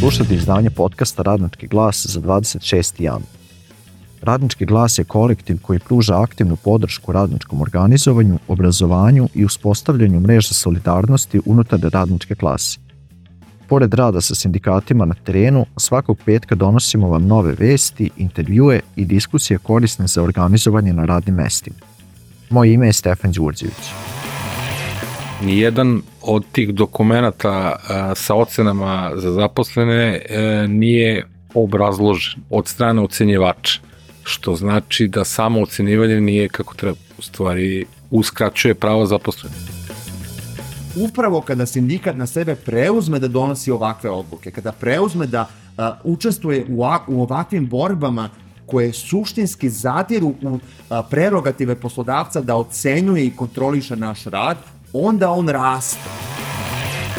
Slušate izdanje podcasta Radnički glas za 26. januar. Radnički glas je kolektiv koji pruža aktivnu podršku radničkom organizovanju, obrazovanju i uspostavljanju mreža solidarnosti unutar radničke klase. Pored rada sa sindikatima na terenu, svakog petka donosimo vam nove vesti, intervjue i diskusije korisne za organizovanje na radnim mestima. Moje ime je Stefan Đurđević. Nijedan od tih dokumenata sa ocenama za zaposlene nije obrazložen od strane ocenjivača, što znači da samo ocenjivanje nije kako treba, u stvari uskraćuje pravo zaposlenih. Upravo kada sindikat na sebe preuzme da donosi ovakve odluke, kada preuzme da učestvuje u ovakvim borbama koje suštinski zadiru u prerogative poslodavca da ocenjuje i kontroliše naš rad, onda on raste.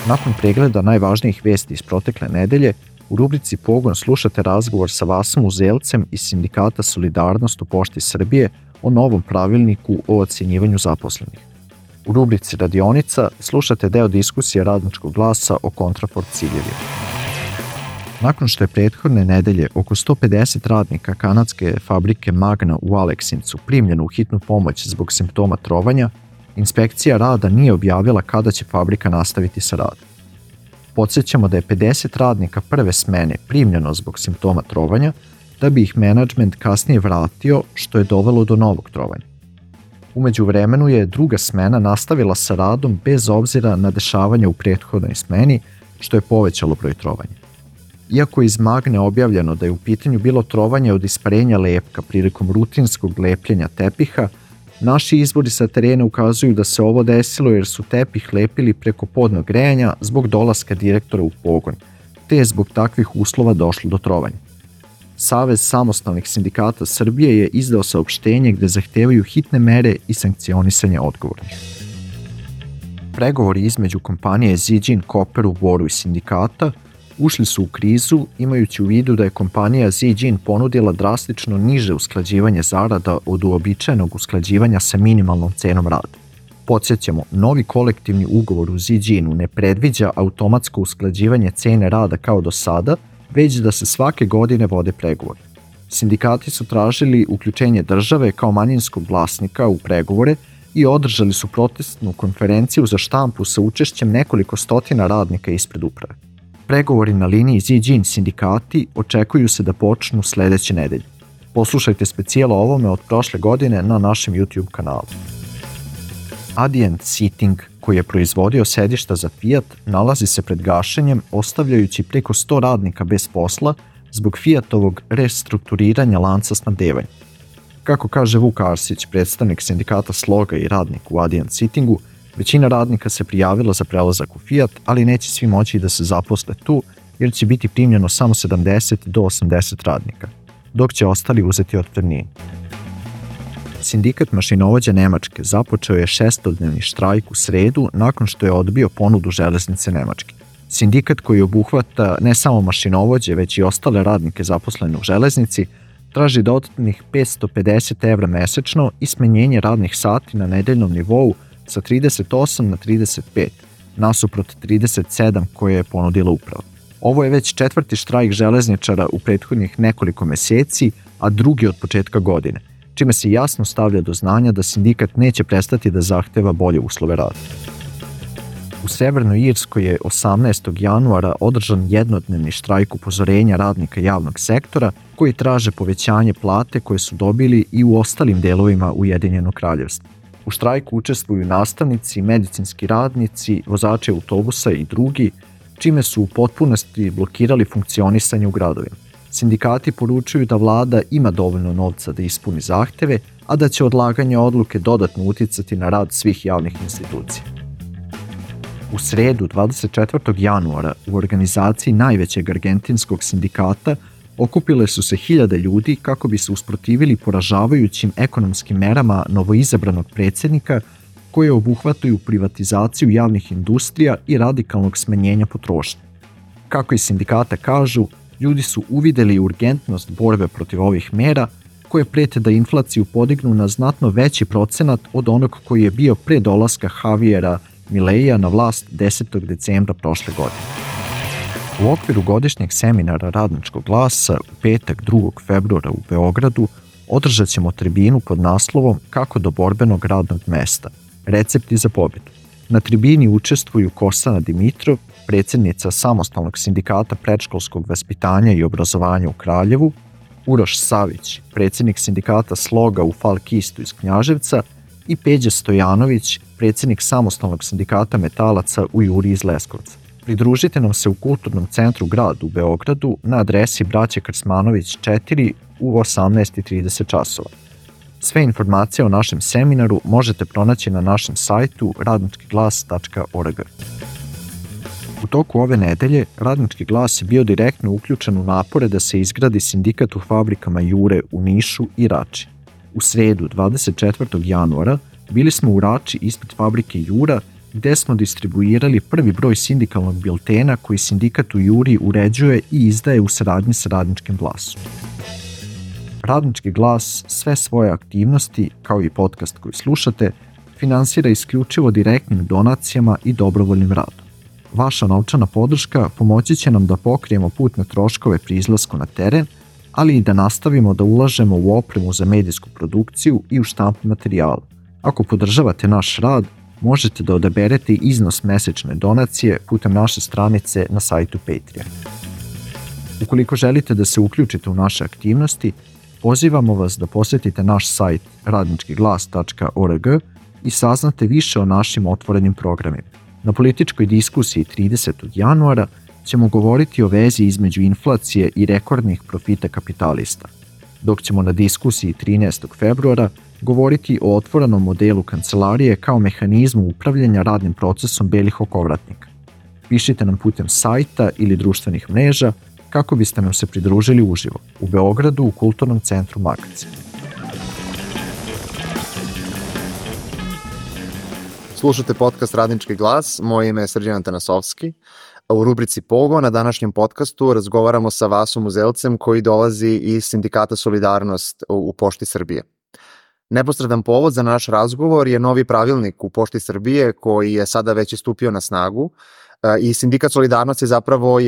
Nakon pregleda najvažnijih vesti iz protekle nedelje, u rubrici Pogon slušate razgovor sa Vasom Uzelcem iz Sindikata Solidarnost u Pošti Srbije o novom pravilniku o ocenjivanju zaposlenih. U rubrici Radionica slušate deo diskusije Radničkog glasa o kontrafort ciljevima. Nakon što je prethodne nedelje oko 150 radnika kanadske fabrike Magna u Aleksincu primljeno u hitnu pomoć zbog simptoma trovanja, Inspekcija rada nije objavila kada će fabrika nastaviti sa radom. Podsjećamo da je 50 radnika prve smene primljeno zbog simptoma trovanja, da bi ih menadžment kasnije vratio, što je dovelo do novog trovanja. U međuvremenu je druga smena nastavila sa radom bez obzira na dešavanja u prethodnoj smeni, što je povećalo broj trovanja. Iako je iz Magne objavljeno da je u pitanju bilo trovanje od isparenja lepka prilikom rutinskog lepljenja tepiha, naši izvori sa terena ukazuju da se ovo desilo jer su tepih lepili preko podnog grejanja zbog dolaska direktora u pogon, te je zbog takvih uslova došlo do trovanja. Savez samostalnih sindikata Srbije je izdao saopštenje gde zahtevaju hitne mere i sankcionisanje odgovornih. Pregovori između kompanije Ziđin Koper u Boru i sindikata ušli su u krizu imajući u vidu da je kompanija Ziđin ponudila drastično niže usklađivanje zarada od uobičajenog usklađivanja sa minimalnom cenom rada. Podsjećamo, novi kolektivni ugovor u Ziđinu ne predviđa automatsko usklađivanje cene rada kao do sada, već da se svake godine vode pregovori. Sindikati su tražili uključenje države kao manjinskog vlasnika u pregovore i održali su protestnu konferenciju za štampu sa učešćem nekoliko stotina radnika ispred uprave. Pregovori na liniji Ziđin sindikati očekuju se da počnu sledeće nedelje. Poslušajte specijal o ovome od prošle godine na našem YouTube kanalu. Adient Seating, koji je proizvodio sedišta za Fiat, nalazi se pred gašenjem, ostavljajući preko 100 radnika bez posla zbog Fiatovog restrukturiranja lanca snabdevanja. Kako kaže Vuk Arsić, predstavnik sindikata Sloga i radnik u Adient Seatingu, većina radnika se prijavila za prelazak u Fiat, ali neće svi moći da se zaposle tu, jer će biti primljeno samo 70 do 80 radnika, dok će ostali uzeti otpremninu. Sindikat mašinovođa Nemačke započeo je 6-dnevni štrajk u sredu nakon što je odbio ponudu železnice Nemačke. Sindikat koji obuhvata ne samo mašinovođe, već i ostale radnike zaposlene u železnici, traži dodatnih 550 evra mesečno i smanjenje radnih sati na nedeljnom nivou sa 38 na 35, nasuprot 37 koje je ponudila uprava. Ovo je već 4. štrajk železničara u prethodnih nekoliko meseci, a drugi od početka godine, čime se jasno stavlja do znanja da sindikat neće prestati da zahteva bolje uslove rada. U Severnoj Irskoj je 18. januara održan jednodnevni štrajk upozorenja radnika javnog sektora koji traže povećanje plate koje su dobili i u ostalim delovima Ujedinjenog kraljevstva. U štrajku učestvuju nastavnici, medicinski radnici, vozači autobusa i drugi, čime su u potpunosti blokirali funkcionisanje u gradovima. Sindikati poručuju da vlada ima dovoljno novca da ispuni zahteve, a da će odlaganje odluke dodatno uticati na rad svih javnih institucija. U sredu 24. januara u organizaciji najvećeg argentinskog sindikata okupile su se hiljade ljudi kako bi se usprotivili poražavajućim ekonomskim merama novoizabranog predsjednika koje obuhvataju privatizaciju javnih industrija i radikalnog smanjenja potrošnje. Kako i sindikata kažu, ljudi su uvideli urgentnost borbe protiv ovih mera koje prete da inflaciju podignu na znatno veći procenat od onog koji je bio pre dolaska Javiera Mileija na vlast 10. decembra prošle godine. U okviru godišnjeg seminara Radničkog glasa u petak 2. februara u Beogradu održat ćemo tribinu pod naslovom Kako do borbenog radnog mesta – recepti za pobedu. Na tribini učestvuju Kostana Dimitrov, predsjednica Samostalnog sindikata predškolskog vaspitanja i obrazovanja u Kraljevu, Uroš Savić, predsjednik sindikata Sloga u Falkistu iz Knjaževca i Peđa Stojanović, predsjednik Samostalnog sindikata metalaca u Juri iz Leskovca. Pridružite nam se u Kulturnom centru Grad u Beogradu na adresi Braće Krsmanović 4 u 18:30 časova. Sve informacije o našem seminaru možete pronaći na našem sajtu radničkiglas.org. U toku ove nedelje Radnički glas je bio direktno uključen u napore da se izgradi sindikat u fabrikama Jure u Nišu i Rači. U sredu 24. januara bili smo u Rači ispred fabrike Jura, gde smo distribuirali prvi broj sindikalnog biltena koji sindikat u Juri uređuje i izdaje u saradnji sa Radničkim glasom. Radnički glas sve svoje aktivnosti, kao i podcast koji slušate, finansira isključivo direktnim donacijama i dobrovoljnim radom. Vaša novčana podrška pomoći će nam da pokrijemo putne troškove pri izlasku na teren, ali i da nastavimo da ulažemo u opremu za medijsku produkciju i u štampu materijala. Ako podržavate naš rad, možete da odaberete iznos mesečne donacije putem naše stranice na sajtu Patreon. Ukoliko želite da se uključite u naše aktivnosti, pozivamo vas da posetite naš sajt radničkiglas.org i saznate više o našim otvorenim programima. Na političkoj diskusiji 30. januara ćemo govoriti o vezi između inflacije i rekordnih profita kapitalista, dok ćemo na diskusiji 13. februara govoriti o otvorenom modelu kancelarije kao mehanizmu upravljanja radnim procesom belih okovratnika. Pišite nam putem sajta ili društvenih mreža kako biste nam se pridružili uživo u Beogradu u Kulturnom centru Magacin. Slušate podcast Radnički glas, moje ime je Srđan Antanasovski. U rubrici Pogo na današnjem podcastu razgovaramo sa Vasom Uzelcem koji dolazi iz Sindikata Solidarnost u Pošti Srbije. Neposredan povod za naš razgovor je novi pravilnik u Pošti Srbije koji je sada već stupio na snagu i Sindikat Solidarnost je zapravo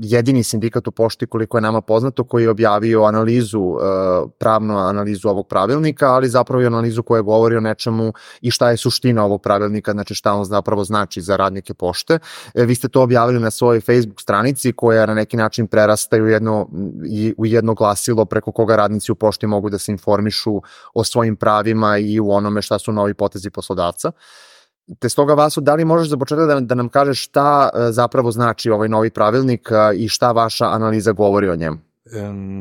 jedini sindikat u Pošti koliko je nama poznato koji je objavio pravnu analizu ovog pravilnika, ali zapravo i analizu koja govori o nečemu i šta je suština ovog pravilnika, znači šta on zapravo znači za radnike Pošte. Vi ste to objavili na svojoj Facebook stranici koja na neki način prerasta u jedno glasilo preko koga radnici u Pošti mogu da se informišu o svojim pravima i u onome šta su novi potezi poslodavca. Te stoga, Vaso, da li možeš za početak da nam kažeš šta zapravo znači ovaj novi pravilnik i šta vaša analiza govori o njemu?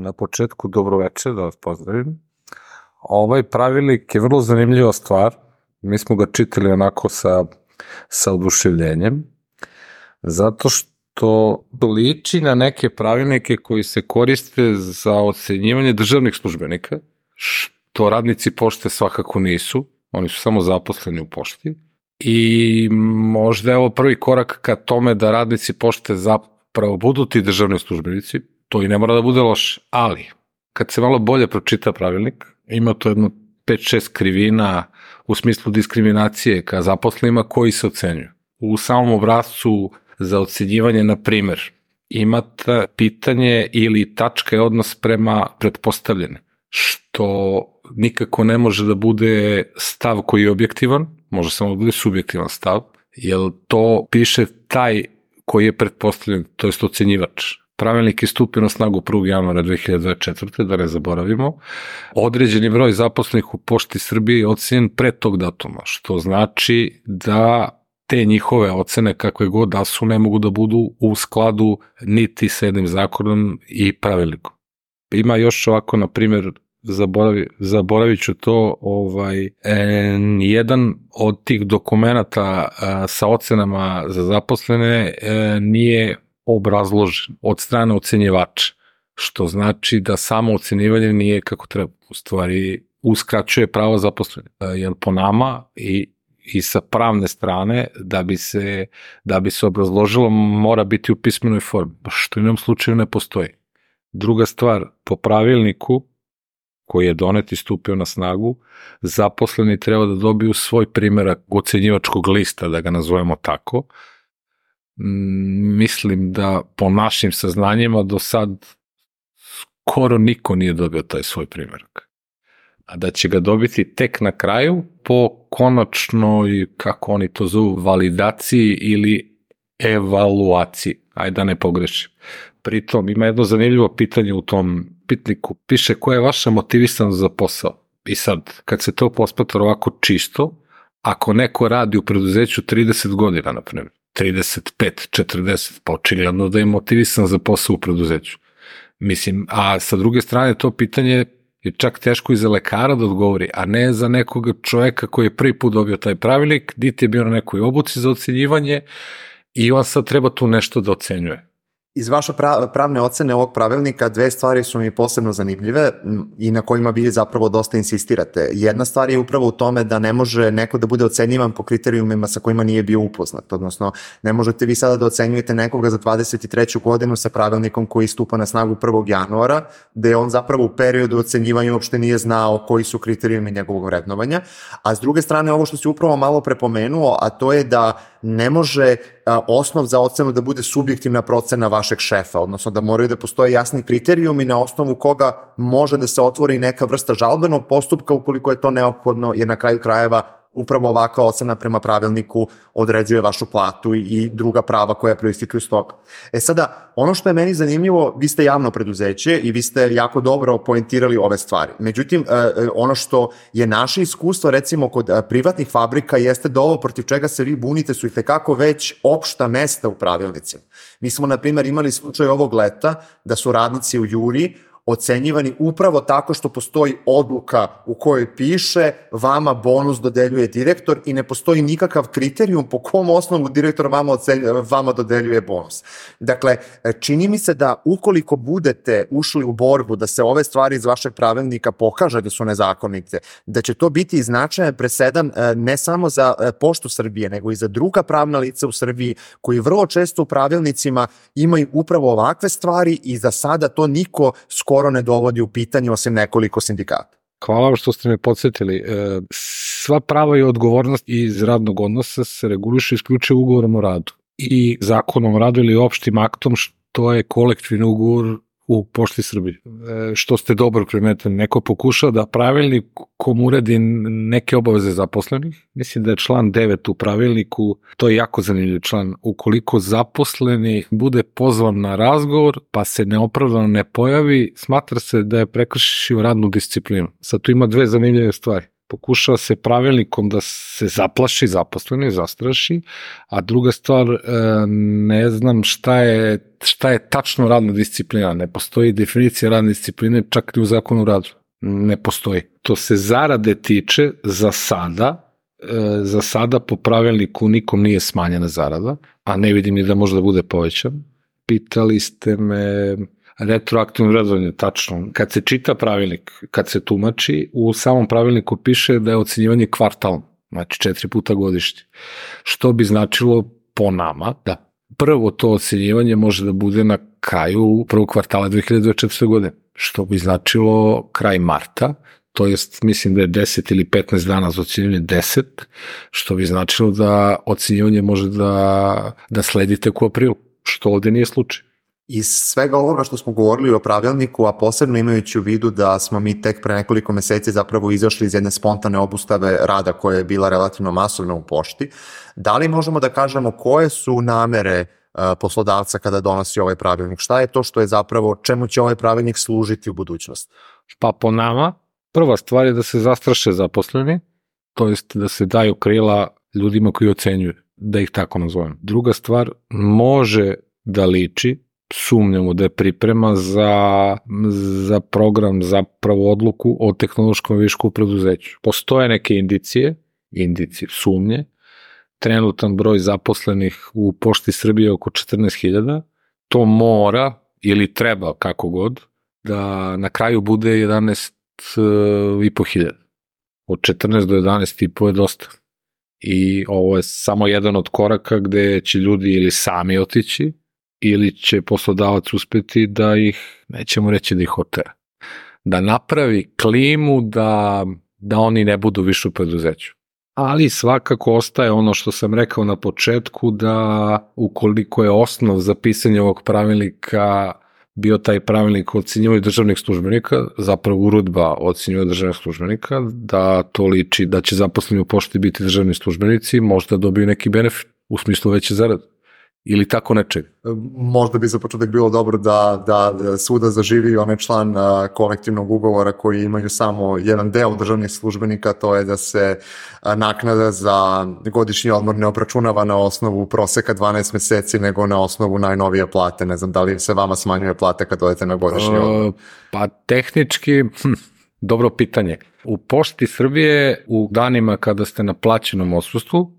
Na početku dobro večer, da vas pozdravim. Ovaj pravilnik je vrlo zanimljiva stvar. Mi smo ga čitali onako sa oduševljenjem, zato što liči na neke pravilnike koji se koriste za ocenjivanje državnih službenika, što radnici Pošte svakako nisu, oni su samo zaposleni u Pošti. I možda je ovo prvi korak ka tome da radnici Pošte zapravo budu ti državni službenici, to i ne mora da bude loše, ali kad se malo bolje pročita pravilnik, ima to jedno 5-6 krivina u smislu diskriminacije ka zaposlenima koji se ocenjuju. U samom obrascu za ocenjivanje, na primer, imate pitanje ili tačka je odnos prema pretpostavljene, što nikako ne može da bude stav koji je objektivan, može samo da bude subjektivan stav, jer to piše taj koji je pretpostavljen, to jest ocenjivač. Pravilnik je stupio na snagu 1. januara 2024. da ne zaboravimo. Određeni broj zaposlenih u Pošti Srbije je ocenjen pre tog datuma, što znači da te njihove ocene, kakve god da su, ne mogu da budu u skladu niti sa jednim zakonom i pravilnikom. Ima još ovako, na primjer, zaboravit ću to, jedan od tih dokumenata sa ocenama za zaposlene nije obrazložen od strane ocenjivača, što znači da samo ocenjivanje nije kako treba, u stvari uskraćuje pravo zaposlenih, jer po nama i sa pravne strane da bi se obrazložilo mora biti u pismenoj formi, što u jednom slučaju ne postoji. Druga stvar, po pravilniku koji je donet i stupio na snagu, zaposleni treba da dobiju svoj primerak ocenjivačkog lista, da ga nazovemo tako, mislim da po našim saznanjima do sad skoro niko nije dobio taj svoj primjerak. A da će ga dobiti tek na kraju po konačnoj, kako oni to zovu, validaciji ili evaluaciji. Ajde da ne pogrešim. Pritom ima jedno zanimljivo pitanje u tom pitniku. Piše koja je vaša motivisanost za posao. I sad, kad se to posmatra ovako čisto, ako neko radi u preduzeću 30 godina, na primjer, 35, 40, pa očigledno da je motivisan za posao u preduzeću. Mislim, a sa druge strane to pitanje je čak teško i za lekara da odgovori, a ne za nekog čoveka koji je prvi put dobio taj pravilnik, dite je bio na nekoj obuci za ocenjivanje i on sad treba tu nešto da ocenjuje. Iz vaše pravne ocene ovog pravilnika dve stvari su mi posebno zanimljive i na kojima vi zapravo dosta insistirate. Jedna stvar je upravo u tome da ne može neko da bude ocenjivan po kriterijumima sa kojima nije bio upoznat, odnosno ne možete vi sada da ocenjujete nekoga za 23. godinu sa pravilnikom koji stupa na snagu 1. januara, gde on zapravo u periodu ocenjivanja uopšte nije znao koji su kriterijumi njegovog vrednovanja, a s druge strane ovo što si upravo malo prepomenuo, a to je da ne može osnov za ocenu da bude subjektivna procena vašeg šefa, odnosno da moraju da postoje jasni kriterijumi na osnovu koga može da se otvori neka vrsta žalbenog postupka ukoliko je to neophodno, jer na kraju krajeva upravo ovakva ocena prema pravilniku određuje vašu platu i druga prava koja proističu iz toga. Sada, ono što je meni zanimljivo, vi ste javno preduzeće i vi ste jako dobro poentirali ove stvari. Međutim, ono što je naše iskustvo, recimo kod privatnih fabrika, jeste da ovo protiv čega se vi bunite su itekako već opšta mesta u pravilnicima. Mi smo, na primjer, imali slučaj ovog leta da su radnici u Juri ocenjivani upravo tako što postoji odluka u kojoj piše vama bonus dodeljuje direktor i ne postoji nikakav kriterijum po kom osnovu direktor vama dodeljuje bonus. Dakle, čini mi se da ukoliko budete ušli u borbu da se ove stvari iz vašeg pravilnika pokaže da su nezakonite, da će to biti značajan presedan ne samo za Poštu Srbije, nego i za druga pravna lica u Srbiji koji vrlo često u pravilnicima imaju upravo ovakve stvari i za sada to niko skoro ne dovodi u pitanje osim nekoliko sindikata. Hvala vam što ste me podsjetili. Sva prava i odgovornost iz radnog odnosa se reguliše isključivo ugovorom o radu i zakonom o radu ili opštim aktom što je kolektivni ugovor u Pošti Srbije. Što ste dobro primetili, neko pokušao da pravilnikom uredi neke obaveze zaposlenih. Mislim da je član 9 u pravilniku, to je jako zanimljiv član. Ukoliko zaposleni bude pozvan na razgovor pa se neopravdano ne pojavi, smatra se da je prekršio radnu disciplinu. Sad tu ima dve zanimljive stvari. Pokušava se pravilnikom da se zaplaši zaposleni, zastraši, a druga stvar, ne znam šta je tačno radna disciplina. Ne postoji definicija radne discipline čak i u zakonu o radu. Ne postoji. To se zarade tiče za sada po pravilniku nikom nije smanjena zarada, a ne vidim ni da može da bude povećan. Pitali ste me retroaktivno vrednovanje, tačno. Kad se čita pravilnik, kad se tumači, u samom pravilniku piše da je ocenjivanje kvartalno, znači 4 puta godišnje. Što bi značilo po nama da prvo to ocenjivanje može da bude na kraju prvog kvartala 2024. godine, što bi značilo kraj marta, to jest mislim da je 10 ili 15 dana za ocenjivanje 10, što bi značilo da ocenjivanje može da sledi tek u aprilu, što ovde nije slučaj. Iz svega ovoga što smo govorili o pravilniku, a posebno imajući u vidu da smo mi tek pre nekoliko meseci zapravo izašli iz jedne spontane obustave rada koja je bila relativno masovna u pošti, da li možemo da kažemo koje su namere poslodavca kada donosi ovaj pravilnik? Šta je to što je zapravo, čemu će ovaj pravilnik služiti u budućnosti? Pa po nama, prva stvar je da se zastraše zaposleni, to jest da se daju krila ljudima koji ocenjuju, da ih tako nazovem. Druga stvar, može da liči, sumnjamo da je priprema za program, zapravo odluku o tehnološkom višku u preduzeću. Postoje neke indicije, sumnje, trenutan broj zaposlenih u Pošti Srbije oko 14.000, to mora ili treba kako god, da na kraju bude 11.500. Od 14 do 11.500 je dosta. I ovo je samo jedan od koraka gde će ljudi ili sami otići, ili će poslodavac uspeti da ih, nećemo reći da ih otera, da napravi klimu da oni ne budu više u preduzeću. ali svakako ostaje ono što sam rekao na početku, da ukoliko je osnov za pisanje ovog pravilnika bio taj pravilnik o ocenjivanju državnih službenika, zapravo uredba o ocenjivanju državnih službenika, da to liči da će zaposleni u pošti biti državni službenici, možda dobiju neki benefit u smislu veće zarade ili tako nečeg. Možda bi za početak bilo dobro da svuda zaživi onaj član kolektivnog ugovora koji imaju samo jedan deo državnih službenika, to je da se naknada za godišnji odmor ne obračunava na osnovu proseka 12 meseci, nego na osnovu najnovije plate. Ne znam da li se vama smanjuje plata kad odete na godišnji odmor? Pa tehnički, dobro pitanje. U Pošti Srbije u danima kada ste na plaćenom odsustvu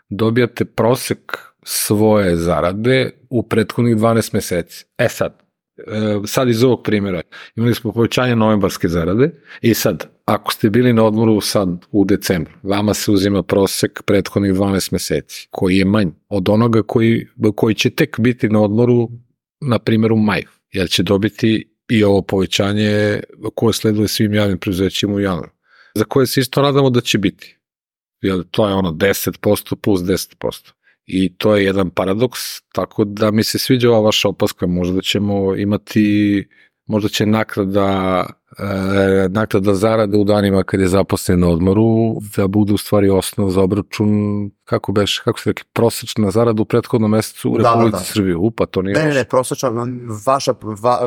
dobijate prosek svoje zarade u prethodnih 12 meseci. Sad iz ovog primjera imali smo povećanje novembarske zarade i sad, ako ste bili na odmoru sad u decembru, vama se uzima prosek prethodnih 12 meseci, koji je manj od onoga koji će tek biti na odmoru, na primjer u maju, jer će dobiti i ovo povećanje koje sleduje svim javnim preduzećima u januaru, za koje se isto nadamo da će biti. Jer to je ono 10% plus 10%. I to je jedan paradoks, tako da mi se sviđa ova vaša opaska, možda ćemo imati, možda će naknada zarade u danima kad je zaposlen na odmoru, da bude u stvari osnov za obračun, kako se rekli, prosečna zarada u prethodnom mesecu u Republici Srbije. Pa to nije Ne, prosečna,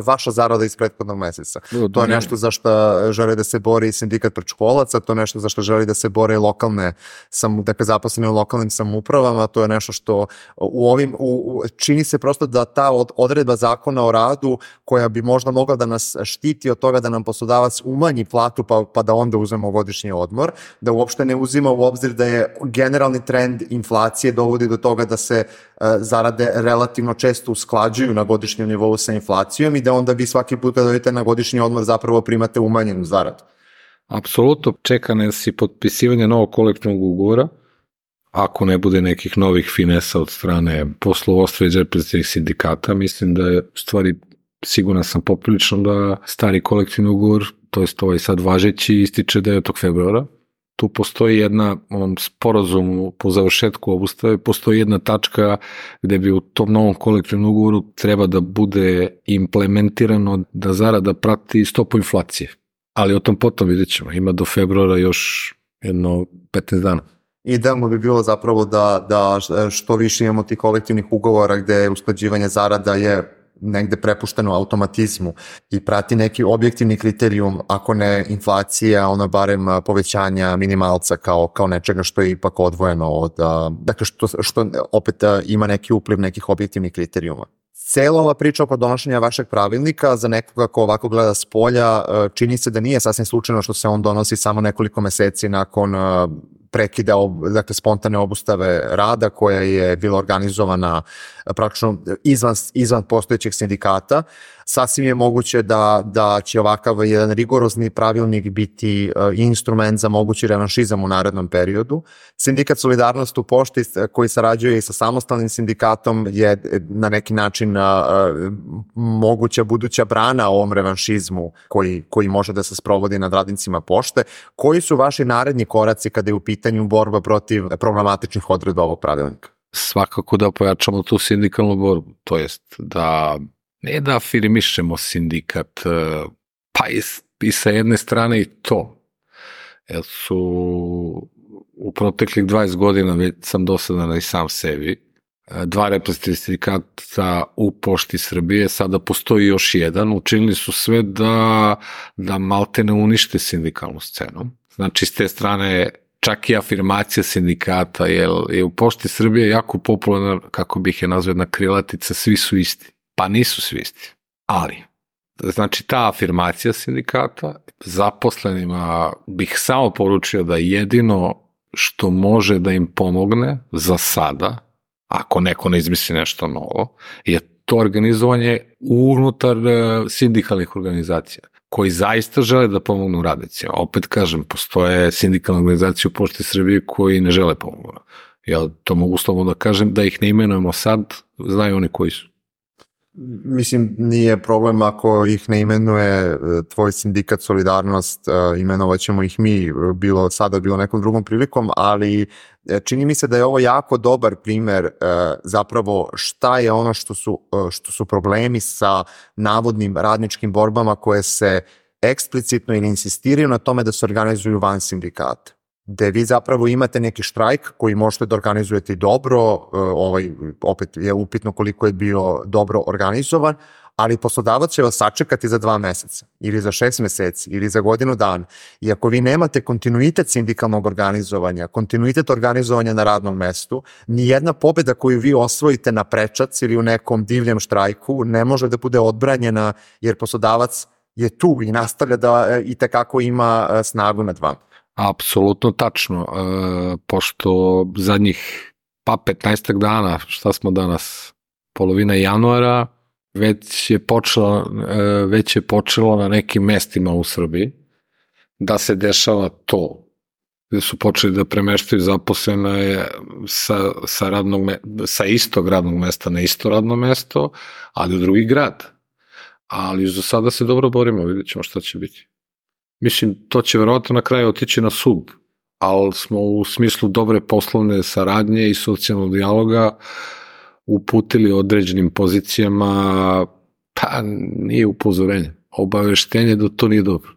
vaša zarada iz prethodnog meseca. To je nešto za što žele da se bori sindikat predškolaca, to je nešto za što želi da se bore lokalne, dakle zaposlene u lokalnim samoupravama, to je nešto što čini se prosto da ta odredba zakona o radu koja bi možda mogla da nas štiti od toga da nam poslodavac umanji platu pa da onda uzmemo godišnji odmor, da uopšte ne uzima u obzir da je generalni trend inflacije dovodi do toga da se zarade relativno često usklađuju na godišnjem nivou sa inflacijom i da onda vi svaki put kada idete na godišnji odmor zapravo primate umanjenu zaradu. Apsolutno, čeka nas i potpisivanje novog kolektivnog ugovora, ako ne bude nekih novih finesa od strane poslovodstva i reprezentativnih sindikata. Mislim da je u stvari, siguran sam poprilično da stari kolektivni ugovor, to jest ovaj sad važeći, ističe 9. februara. Tu postoji jedna, onom sporazumu po završetku obustave, postoji jedna tačka gde bi u tom novom kolektivnom ugovoru treba da bude implementirano da zarada prati stopu inflacije. Ali o tom potom vidjet ćemo. Ima do februara još jedno 15 dana. Idealno bi bilo zapravo da što više imamo tih kolektivnih ugovora gde usklađivanje zarada je negde prepušteno automatizmu i prati neki objektivni kriterijum, ako ne inflacija, ono barem povećanja minimalca kao nečega što je ipak odvojeno od, dakle što opet ima neki upliv nekih objektivnih kriterijuma. Cela ova priča oko donošenja vašeg pravilnika za nekoga ko ovako gleda s polja čini se da nije sasvim slučajno što se on donosi samo nekoliko meseci nakon prekida, dakle spontane obustave rada koja je bila organizovana praktično izvan postojećeg sindikata. Sasvim je moguće da će ovakav jedan rigorozni pravilnik biti instrument za mogući revanšizam u narednom periodu. Sindikat Solidarnost u Pošti koji sarađuje i sa samostalnim sindikatom je na neki način moguća buduća brana ovom revanšizmu koji može da se sprovodi nad radnicima Pošte. Koji su vaši naredni koraci kada je u pitanju borba protiv problematičnih odredba ovog pravilnika? Svakako da pojačamo tu sindikalnu borbu, to jest da ne da afirmišemo sindikat, pa i sa jedne strane i to, jer su u proteklih 20 godina, već sam dosadan i sam sebi, 2 reprezentativna sindikata u Pošti Srbije, sada postoji još jedan, učinili su sve da malte ne unište sindikalnu scenu. Znači, s te strane, čak i afirmacija sindikata, jer je u Pošti Srbije jako popularna, kako bih je nazvao, jedna krilatica, svi su isti. Pa nisu svi isti, ali, znači ta afirmacija sindikata, zaposlenima bih samo poručio da jedino što može da im pomogne za sada, ako neko ne izmisli nešto novo, je to organizovanje unutar sindikalnih organizacija, koji zaista žele da pomognu radnicima. Opet kažem, postoje sindikalne organizacije u Pošti Srbije koji ne žele pomognu. Ja to mogu slobodno da kažem, da ih ne imenujemo sad, znaju oni koji su. Mislim, nije problem ako ih ne imenuje tvoj sindikat Solidarnost, imenovaćemo ih mi, bilo sada, bilo nekom drugom prilikom, ali čini mi se da je ovo jako dobar primer zapravo šta je ono što su problemi sa navodnim radničkim borbama koje se eksplicitno ili insistiraju na tome da se organizuju van sindikata. Gde vi zapravo imate neki štrajk koji možete da organizujete i dobro, opet je upitno koliko je bio dobro organizovan, ali poslodavac će vas sačekati za 2 meseca ili za 6 meseci ili za godinu dana. I ako vi nemate kontinuitet sindikalnog organizovanja, kontinuitet organizovanja na radnom mestu, nijedna pobeda koju vi osvojite na prečac ili u nekom divljem štrajku ne može da bude odbranjena jer poslodavac je tu i nastavlja da i tekako ima snagu nad vama. Apsolutno tačno, pošto zadnjih 15 dana, šta smo danas, polovina januara, već je počelo na nekim mestima u Srbiji da se dešava to, gde su počeli da premeštaju zaposlene sa istog radnog mesta na isto radno mesto, ali u drugi grad. Ali za sada se dobro borimo, vidjet ćemo šta će biti. Mislim, to će verovatno na kraju otići na sud, ali smo u smislu dobre poslovne saradnje i socijalnog dijaloga uputili određenim pozicijama, pa nije upozorenje, obaveštenje da to nije dobro,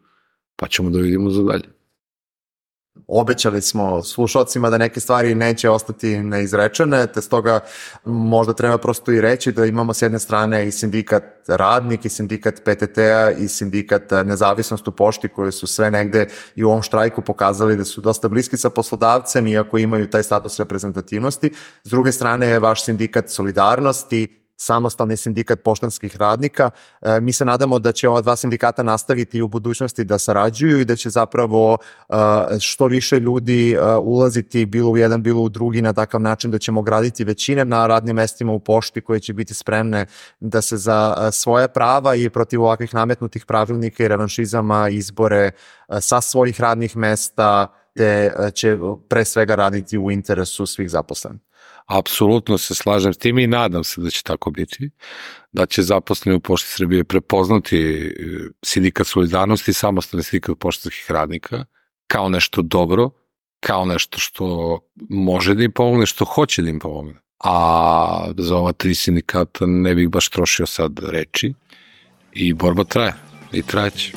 pa ćemo da vidimo za dalje. Obećali smo slušalcima da neke stvari neće ostati neizrečene, te stoga možda treba prosto i reći da imamo s jedne strane i sindikat Radnik, i sindikat PTT-a, i sindikat Nezavisnost u pošti, koje su sve negde i u ovom štrajku pokazali da su dosta bliski sa poslodavcem, iako imaju taj status reprezentativnosti. S druge strane je vaš sindikat Solidarnosti, samostalni sindikat poštanskih radnika. Mi se nadamo da će ova 2 sindikata nastaviti u budućnosti da sarađuju i da će zapravo što više ljudi ulaziti bilo u jedan, bilo u drugi na takav način da ćemo graditi većine na radnim mestima u pošti koje će biti spremne da se za svoje prava i protiv ovakvih nametnutih pravilnika i revanšizama izbore sa svojih radnih mesta, te će pre svega raditi u interesu svih zaposlenih. Apsolutno se slažem s tim i nadam se da će tako biti, da će zaposleni u Pošti Srbije prepoznati sindikat Solidarnosti i samostalni sindikat poštanskih radnika kao nešto dobro, kao nešto što može da im pomogne, što hoće da im pomogne. A za ova 3 sindikata ne bih baš trošio sad reči i borba traje i trajeće.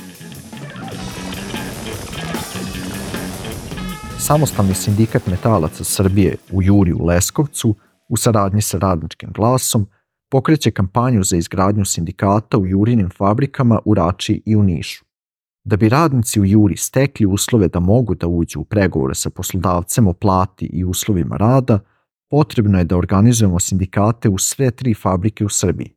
Samostalni sindikat metalaca Srbije u Juri u Leskovcu, u saradnji sa Radničkim glasom, pokreće kampanju za izgradnju sindikata u Jurinim fabrikama u Rači i u Nišu. Da bi radnici u Juri stekli uslove da mogu da uđu u pregovore sa poslodavcem o plati i uslovima rada, potrebno je da organizujemo sindikate u sve 3 fabrike u Srbiji.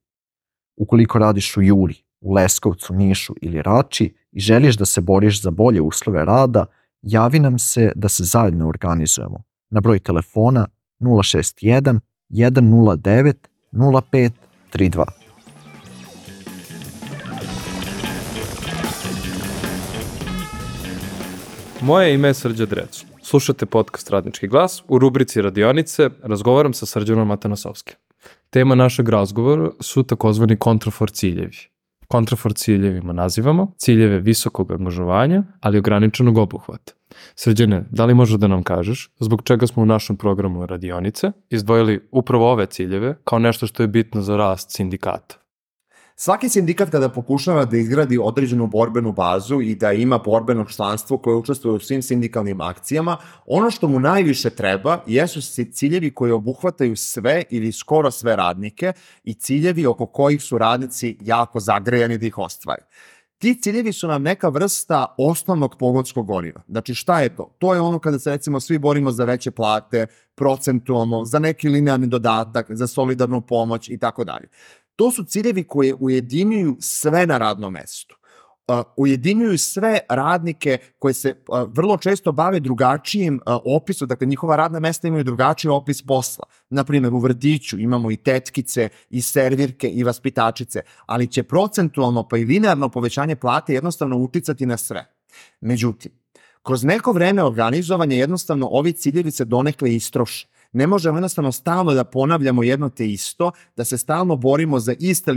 Ukoliko radiš u Juri, u Leskovcu, Nišu ili Rači i želiš da se boriš za bolje uslove rada, javi nam se da se zajedno organizujemo na broj telefona 061 109 0532. Moje ime je Srđan Drecu. Slušate podcast Radnički glas. U rubrici Radionice razgovaram sa Srđanom Atanasovskim. Tema našeg razgovora su takozvani kontrafor ciljevi. Kontrafor ciljevima nazivamo ciljeve visokog angažovanja, ali ograničenog obuhvata. Srđane, da li možeš da nam kažeš zbog čega smo u našem programu Radionice izdvojili upravo ove ciljeve kao nešto što je bitno za rast sindikata? Svaki sindikat kada pokušava da izgradi određenu borbenu bazu i da ima borbeno članstvo koje učestvuje u svim sindikalnim akcijama, ono što mu najviše treba jesu ciljevi koji obuhvataju sve ili skoro sve radnike i ciljevi oko kojih su radnici jako zagrejani da ih ostvare. Ti ciljevi su nam neka vrsta osnovnog pogonskog goriva. Znači šta je to? To je ono kada se recimo svi borimo za veće plate, procentualno, za neki linearni dodatak, za solidarnu pomoć i tako dalje. To su ciljevi koje ujedinjuju sve na radnom mestu. Ujedinjuju sve radnike koje se vrlo često bave drugačijim opisom, dakle njihova radna mesta imaju drugačiji opis posla. Naprimjer, u vrtiću imamo i tetkice, i servirke, i vaspitačice, ali će procentualno pa i linearno povećanje plate jednostavno uticati na sve. Međutim, kroz neko vreme organizovanja jednostavno ovi ciljevi se donekle istroše. Ne možemo jednostavno stalno da ponavljamo jedno te isto, da se stalno borimo za iste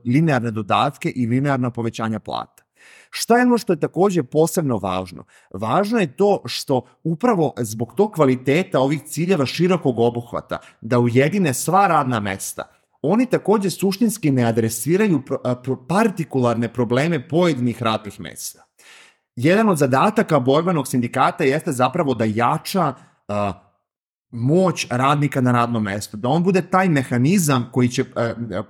linearne dodatke i linearna povećanja plata. Šta je ono što je takođe posebno važno? Važno je to što upravo zbog tog kvaliteta ovih ciljeva širokog obuhvata, da ujedine sva radna mesta, oni takođe suštinski ne adresiraju partikularne probleme pojedinih radnih mesta. Jedan od zadataka borbenog sindikata jeste zapravo da jača moć radnika na radnom mestu, da on bude taj mehanizam koji će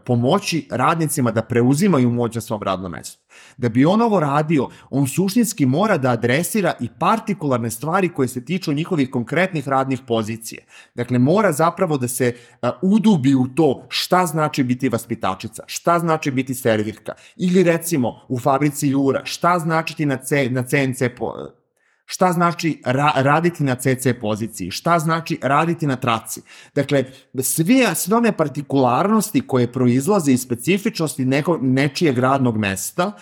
pomoći radnicima da preuzimaju moć na svom radnom mestu. Da bi on ovo radio, on suštinski mora da adresira i partikularne stvari koje se tiču njihovih konkretnih radnih pozicija. Dakle, mora zapravo da se udubi u to šta znači biti vaspitačica, šta znači biti servirka, ili recimo u fabrici Jura, šta znači na CNC šta znači raditi na CC poziciji, šta znači raditi na traci. Dakle, sve one partikularnosti koje proizlaze iz specifičnosti nečijeg radnog mesta,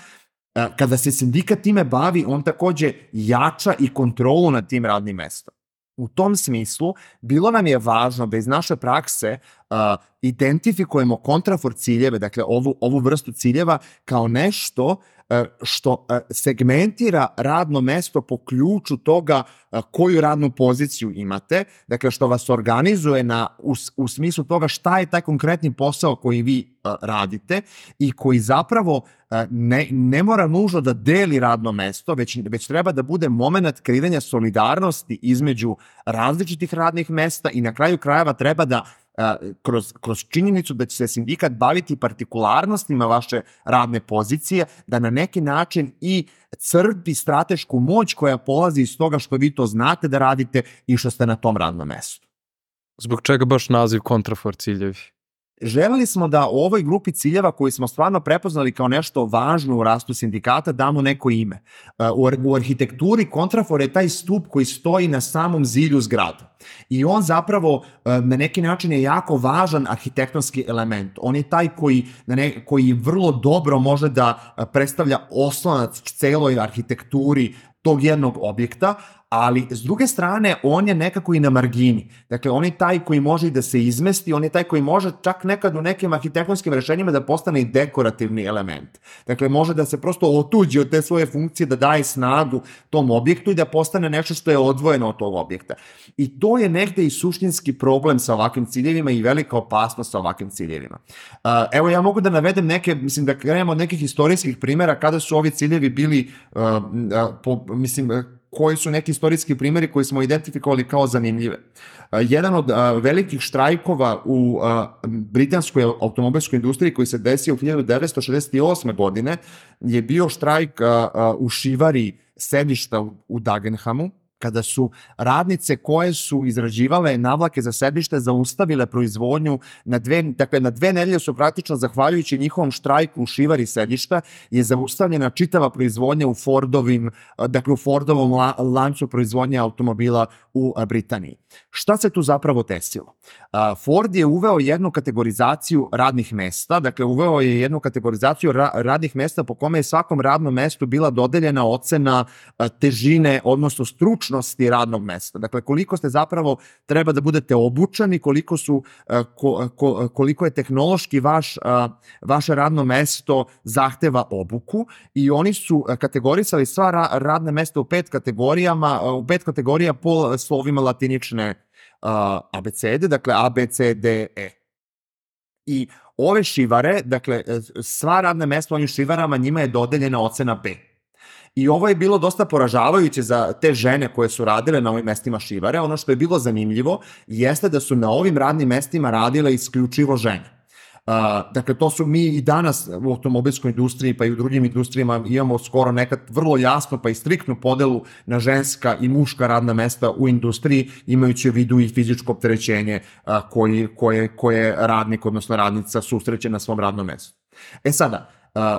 kada se sindikat time bavi, on takođe jača i kontrolu nad tim radnim mestom. U tom smislu, bilo nam je važno da iz naše prakse identifikujemo kontrafor ciljeve, dakle ovu vrstu ciljeva, kao nešto što segmentira radno mesto po ključu toga koju radnu poziciju imate, dakle što vas organizuje u smislu toga šta je taj konkretni posao koji vi radite i koji zapravo ne mora nužno da deli radno mesto, već treba da bude moment kreiranja solidarnosti između različitih radnih mesta i na kraju krajeva treba da kroz činjenicu da će se sindikat baviti partikularnostima vaše radne pozicije, da na neki način i crpi stratešku moć koja polazi iz toga što vi to znate da radite i što ste na tom radnom mestu. Zbog čega baš naziv kontrafor ciljevi? Želeli smo da ovoj grupi ciljeva koji smo stvarno prepoznali kao nešto važno u rastu sindikata damo neko ime. U arhitekturi kontrafor je taj stup koji stoji na samom zilju zgrada. I on zapravo na neki način je jako važan arhitektonski element. On je taj koji vrlo dobro može da predstavlja oslonac celoj arhitekturi tog jednog objekta, ali s druge strane on je nekako i na margini. Dakle, on je taj koji može i da se izmesti, on je taj koji može čak nekad u nekim arhitektonskim rešenjima da postane i dekorativni element. Dakle, može da se prosto otuđi od te svoje funkcije, da daje snagu tom objektu i da postane nešto što je odvojeno od tog objekta. I to je negde i suštinski problem sa ovakvim ciljevima i velika opasnost sa ovakvim ciljevima. Evo, ja mogu da navedem da krenemo od nekih istorijskih primjera kada su ovi ciljevi bili, koji su neki istorijski primjeri koji smo identifikovali kao zanimljive. Jedan od velikih štrajkova u britanskoj automobilskoj industriji koji se desio u 1968. godine je bio štrajk u šivari sedišta u Dagenhamu, kada su radnice koje su izrađivale navlake za sedište zaustavile proizvodnju na dve nedelje su praktično, zahvaljujući njihovom štrajku u šivari sedišta, je zaustavljena čitava proizvodnja u Fordovom lancu proizvodnje automobila u Britaniji. Šta se tu zapravo desilo? Ford je uveo jednu kategorizaciju radnih mesta, dakle uveo je jednu kategorizaciju radnih mesta po kome je svakom radnom mestu bila dodeljena ocena težine, odnosno stručnosti radnog mesta. Dakle, koliko ste zapravo treba da budete obučeni, koliko je tehnološki vaše radno mesto zahteva obuku i oni su kategorisali sva radna mesta u pet kategorija po slovima latinične abecede, dakle A, B, C, D, E. I ove šivare, dakle, sva radna mesta u ovim šivarama, njima je dodeljena ocena B. I ovo je bilo dosta poražavajuće za te žene koje su radile na ovim mestima šivare. Ono što je bilo zanimljivo jeste da su na ovim radnim mestima radile isključivo žene. Dakle, to su mi i danas u automobilskoj industriji pa i u drugim industrijama imamo skoro nekad vrlo jasno pa i striktnu podelu na ženska i muška radna mesta u industriji, imajući u vidu i fizičko opterećenje koje radnik, odnosno radnica susreće na svom radnom mestu. Sada,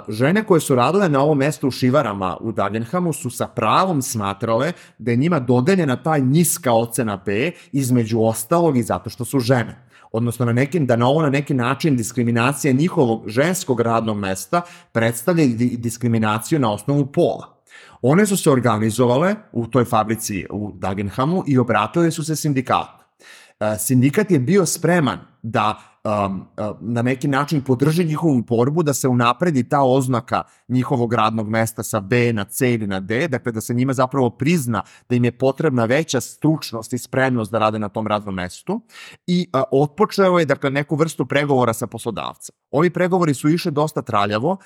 žene koje su radile na ovom mestu u šivarama u Dagenhamu su sa pravom smatrale da je njima dodeljena ta niska ocena B, između ostalog i zato što su žene. Odnosno na neki način diskriminacija njihovog ženskog radnog mesta predstavlja diskriminaciju na osnovu pola. One su se organizovale u toj fabrici u Dagenhamu i obratile su se sindikatu. Sindikat je bio spreman da na neki način podrži njihovu borbu, da se unapredi ta oznaka njihovog radnog mesta sa B na C ili na D, dakle da se njima zapravo prizna da im je potrebna veća stručnost i spremnost da rade na tom radnom mestu i otpočeo je dakle neku vrstu pregovora sa poslodavcem. Ovi pregovori su išli dosta traljavo,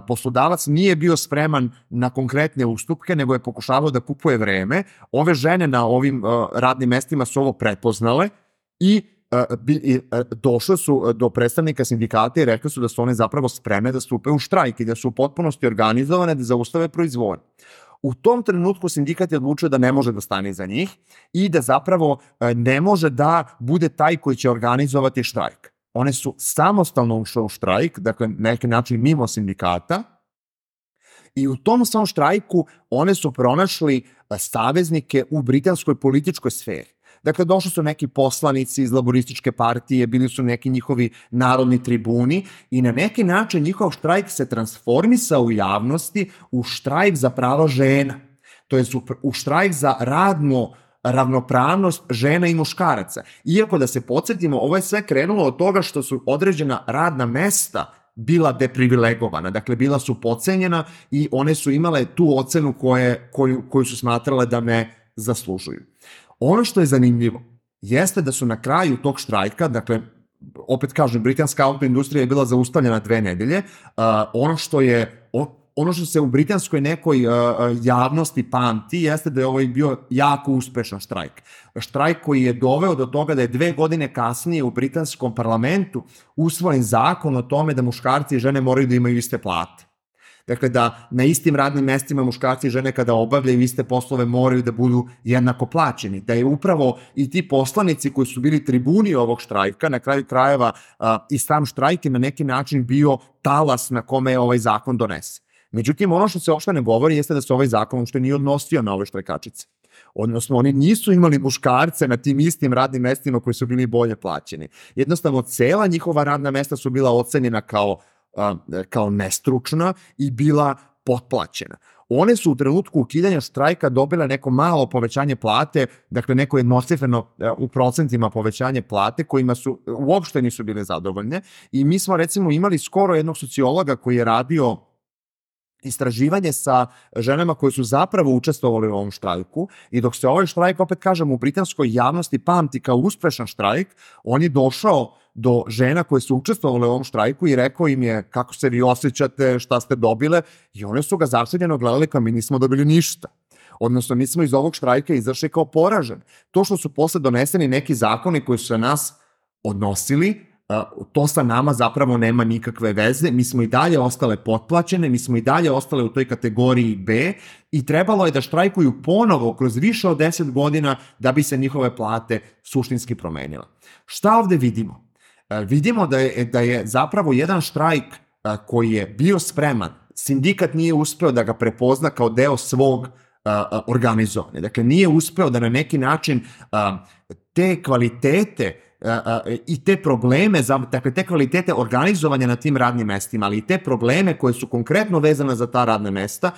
poslodavac nije bio spreman na konkretne ustupke, nego je pokušavao da kupuje vreme. Ove žene na ovim radnim mestima su ovo prepoznale i došle su do predstavnika sindikata i rekli su da su one zapravo spremne da stupe u štrajk i da su u potpunosti organizovane da zaustave proizvodnju. U tom trenutku sindikat je odlučio da ne može da stane iza njih i da zapravo ne može da bude taj koji će organizovati štrajk. One su samostalno ušle u štrajk, dakle na neki način mimo sindikata, i u tom svom štrajku one su pronašli saveznike u britanskoj političkoj sferi. Dakle, došli su neki poslanici iz laborističke partije, bili su neki njihovi narodni tribuni i na neki način njihov štrajk se transformisao u javnosti u štrajk za prava žena. To je u štrajk za ravnopravnost žena i muškaraca. Iako da se podsjetimo, ovo je sve krenulo od toga što su određena radna mesta bila deprivilegovana, dakle bila su podcenjena i one su imale tu ocenu koju su smatrale da ne zaslužuju. Ono što je zanimljivo jeste da su na kraju tog štrajka, dakle, opet kažem, britanska autoindustrija je bila zaustavljena 2 nedelje, ono što se u britanskoj nekoj javnosti pamti jeste da je ovo bio jako uspešan štrajk. Štrajk koji je doveo do toga da je 2 godine kasnije u britanskom parlamentu usvojen zakon o tome da muškarci i žene moraju da imaju iste plate. Dakle, da na istim radnim mestima muškarci i žene kada obavljaju iste poslove moraju da budu jednako plaćeni. Da je upravo i ti poslanici koji su bili tribuni ovog štrajka, na kraju krajeva i sam štrajk je na neki način bio talas na kome je ovaj zakon donesen. Međutim, ono što se uopšte ne govori jeste da se ovaj zakon uopšte nije odnosio na ove štrajkačice. Odnosno, oni nisu imali muškarce na tim istim radnim mestima koji su bili bolje plaćeni. Jednostavno, cela njihova radna mesta su bila ocenjena kao nestručna i bila potplaćena. One su u trenutku ukidanja štrajka dobile neko malo povećanje plate, dakle neko jednocifreno u procentima povećanje plate kojima su uopšte nisu bile zadovoljne i mi smo recimo imali skoro jednog sociologa koji je radio istraživanje sa ženama koje su zapravo učestvovali u ovom štrajku i dok se ovaj štrajk, opet kažem, u britanskoj javnosti pamti kao uspešan štrajk, on je došao do žena koje su učestvovale u ovom štrajku i rekao im je kako se vi osjećate, šta ste dobile i one su ga začuđeno gledali kao mi nismo dobili ništa. Odnosno, mi smo iz ovog štrajka izašli kao poražen. To što su posle doneseni neki zakoni koji su se nas odnosili, to sa nama zapravo nema nikakve veze, mi smo i dalje ostale potplaćene, mi smo i dalje ostale u toj kategoriji B i trebalo je da štrajkuju ponovo kroz više od 10 godina da bi se njihove plate suštinski promenile. Šta ovde vidimo? Vidimo da je zapravo jedan štrajk koji je bio spreman, sindikat nije uspeo da ga prepozna kao deo svog organizovanja. Dakle, nije uspeo da na neki način te kvalitete i te probleme, dakle te kvalitete organizovanja na tim radnim mestima, ali i te probleme koje su konkretno vezane za ta radna mesta,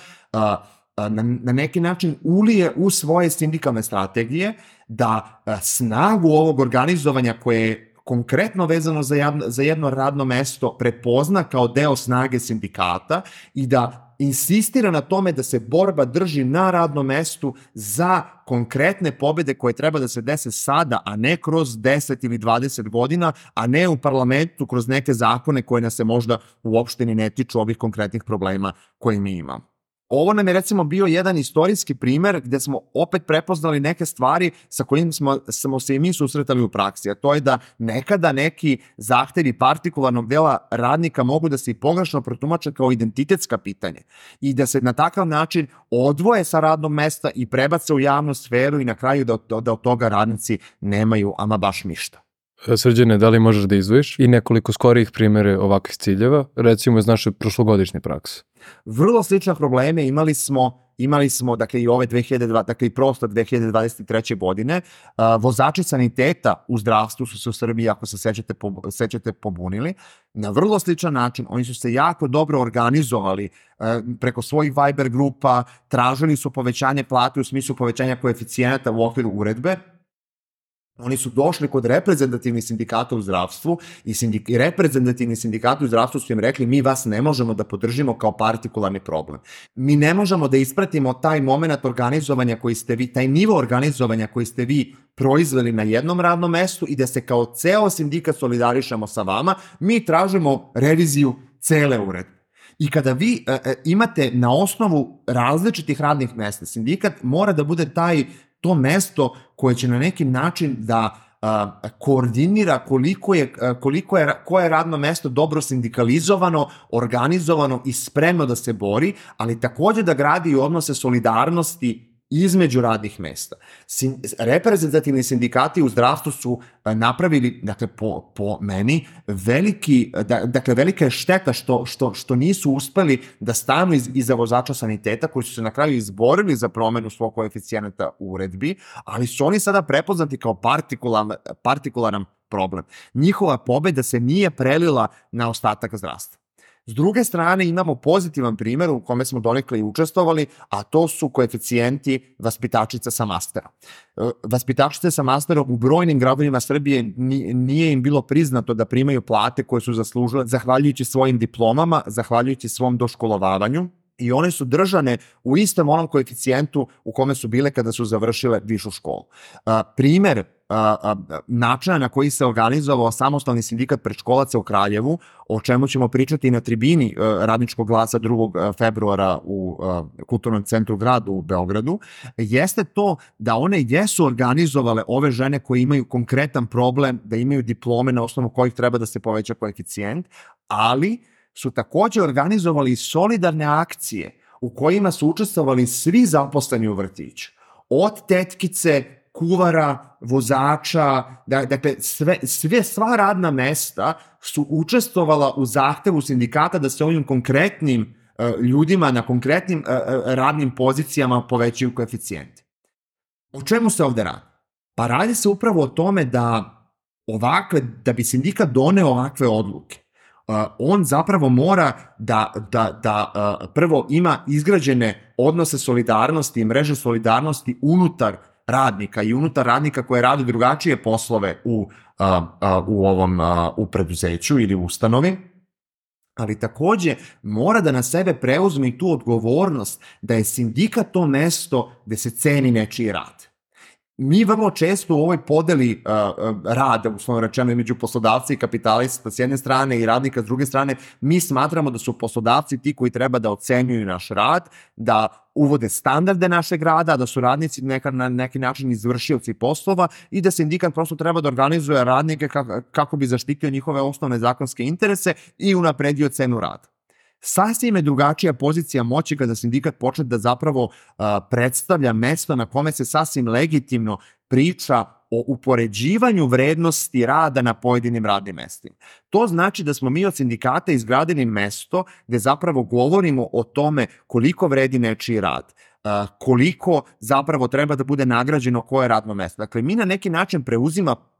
na neki način ulije u svoje sindikalne strategije, da snagu ovog organizovanja koje je konkretno vezano za jedno radno mesto prepozna kao deo snage sindikata i da insistira na tome da se borba drži na radnom mestu za konkretne pobede koje treba da se dese sada, a ne kroz 10 ili 20 godina, a ne u parlamentu kroz neke zakone koje nas se možda uopšte ni ne tiču ovih konkretnih problema koje mi imamo. Ovo nam je recimo bio jedan istorijski primer gde smo opet prepoznali neke stvari sa kojim smo se i mi susretali u praksi, a to je da nekada neki zahtevi partikularnog dela radnika mogu da se i pogrešno protumače kao identitetska pitanja i da se na takav način odvoje sa radnog mesta i prebace u javnu sferu i na kraju da od toga radnici nemaju ama baš ništa. Srđane, da li možeš da izdvojiš i nekoliko skorijih primere ovakvih ciljeva, recimo iz naše prošlogodišnje prakse? Vrlo slične probleme imali smo dakle i ove 2023. godine. Vozači saniteta u zdravstvu su se u Srbiji, ako se sećate, pobunili. Na vrlo sličan način, oni su se jako dobro organizovali preko svojih Viber grupa, tražili su povećanje plate u smislu povećanja koeficijenata u okviru uredbe. Oni su došli kod reprezentativnih sindikata u zdravstvu i reprezentativni sindikati u zdravstvu su im rekli mi vas ne možemo da podržimo kao partikularni problem. Mi ne možemo da ispratimo taj moment organizovanja koji ste vi, taj nivo organizovanja koji ste vi proizveli na jednom radnom mestu i da se kao ceo sindikat solidarišemo sa vama, mi tražimo reviziju cele uredbe. I kada vi imate na osnovu različitih radnih mesta, sindikat mora da bude to mesto koje će na neki način da koordinira koje je radno mesto dobro sindikalizovano, organizovano i spremno da se bori, ali takođe da gradi i odnose solidarnosti između radnih mesta. Reprezentativni sindikati u zdravstvu su napravili, dakle, po meni, velika je šteta što nisu uspeli da stanu iza vozača saniteta, koji su se na kraju izborili za promenu svog koeficijenata u uredbi, ali su oni sada prepoznati kao partikularan problem. Njihova pobeda se nije prelila na ostatak zdravstva. S druge strane imamo pozitivan primer u kome smo donekle i učestvovali, a to su koeficijenti vaspitačica sa masterom. Vaspitačice sa masterom u brojnim gradovima Srbije nije im bilo priznato da primaju plate koje su zaslužile zahvaljujući svojim diplomama, zahvaljujući svom doškolovavanju, i one su držane u istom onom koeficijentu u kome su bile kada su završile višu školu. Primer načina na koji se organizovao samostalni sindikat predškolaca u Kraljevu, o čemu ćemo pričati na tribini Radničkog glasa 2. februara u Kulturnom centru grada u Beogradu, jeste to da one jesu organizovale ove žene koje imaju konkretan problem, da imaju diplome na osnovu kojih treba da se poveća koeficijent, ali su takođe organizovali solidarne akcije u kojima su učestvovali svi zaposleni u vrtiću. Od tetkice, kuvara, vozača, dakle sva radna mesta su učestvovala u zahtevu sindikata da se ovim konkretnim ljudima na konkretnim radnim pozicijama povećaju koeficijenti. O čemu se ovde radi? Pa radi se upravo o tome da bi sindikat doneo ovakve odluke, on zapravo mora da prvo ima izgrađene odnose solidarnosti i mreže solidarnosti unutar radnika i unutar radnika koje rade drugačije poslove u preduzeću ili ustanovi, ali takođe mora da na sebe preuzme i tu odgovornost da je sindikat to mesto gde se ceni nečiji rad. Mi vrlo često u ovoj podeli rada, uslovno rečeno, između poslodavca i kapitalista s jedne strane i radnika s druge strane, mi smatramo da su poslodavci ti koji treba da ocenjuju naš rad, da uvode standarde našeg rada, da su radnici na neki način izvršioci poslova i da sindikat prosto treba da organizuje radnike kako bi zaštitio njihove osnovne zakonske interese i unapredio cenu rada. Sasvim je drugačija pozicija moći kada sindikat počne da zapravo predstavlja mesto na kome se sasvim legitimno priča o upoređivanju vrednosti rada na pojedinim radnim mestima. To znači da smo mi od sindikata izgradili mesto gde zapravo govorimo o tome koliko vredi nečiji rad, koliko zapravo treba da bude nagrađeno koje radno mesto. Dakle, mi na neki način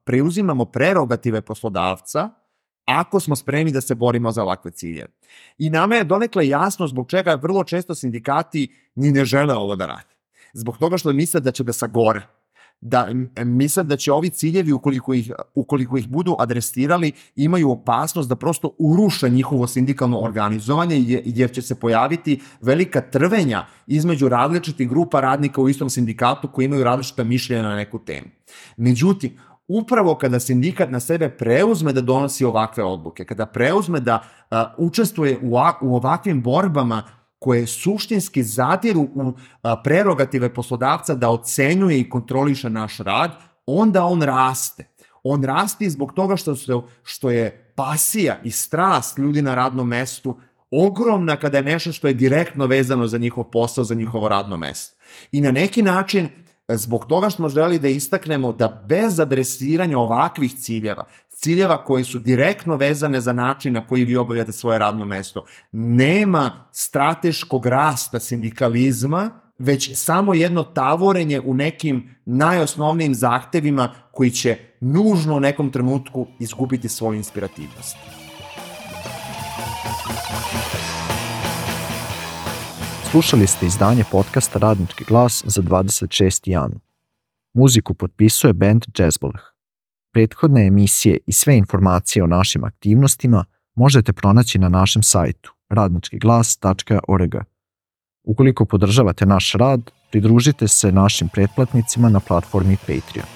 preuzimamo prerogative poslodavca ako smo spremni da se borimo za ovakve ciljeve. I nama je donekle jasno zbog čega vrlo često sindikati ni ne žele ovo da rade. Zbog toga što misle da će da sagore, da misle da će ovi ciljevi, ukoliko ih budu adresirali, imaju opasnost da prosto uruše njihovo sindikalno organizovanje, jer će se pojaviti velika trvenja između različitih grupa radnika u istom sindikatu koji imaju različita mišljenja na neku temu. Međutim, upravo kada sindikat na sebe preuzme da donosi ovakve odluke, kada preuzme da učestvuje u ovakvim borbama koje suštinski zadiru u prerogative poslodavca da ocenjuje i kontroliše naš rad, onda on raste. On raste zbog toga što je pasija i strast ljudi na radnom mestu ogromna kada je nešto što je direktno vezano za njihov posao, za njihovo radno mesto. I na neki način, zbog toga smo želeli da istaknemo da bez adresiranja ovakvih ciljeva koji su direktno vezane za način na koji vi obavljate svoje radno mesto, nema strateškog rasta sindikalizma, već samo jedno tavorenje u nekim najosnovnijim zahtevima koji će nužno u nekom trenutku izgubiti svoju inspirativnost. Slušali ste izdanje podcasta Radnički glas za 26. januar. Muziku potpisuje band Jazzboleh. Prethodne emisije i sve informacije o našim aktivnostima možete pronaći na našem sajtu radničkiglas.org. Ukoliko podržavate naš rad, pridružite se našim pretplatnicima na platformi Patreon.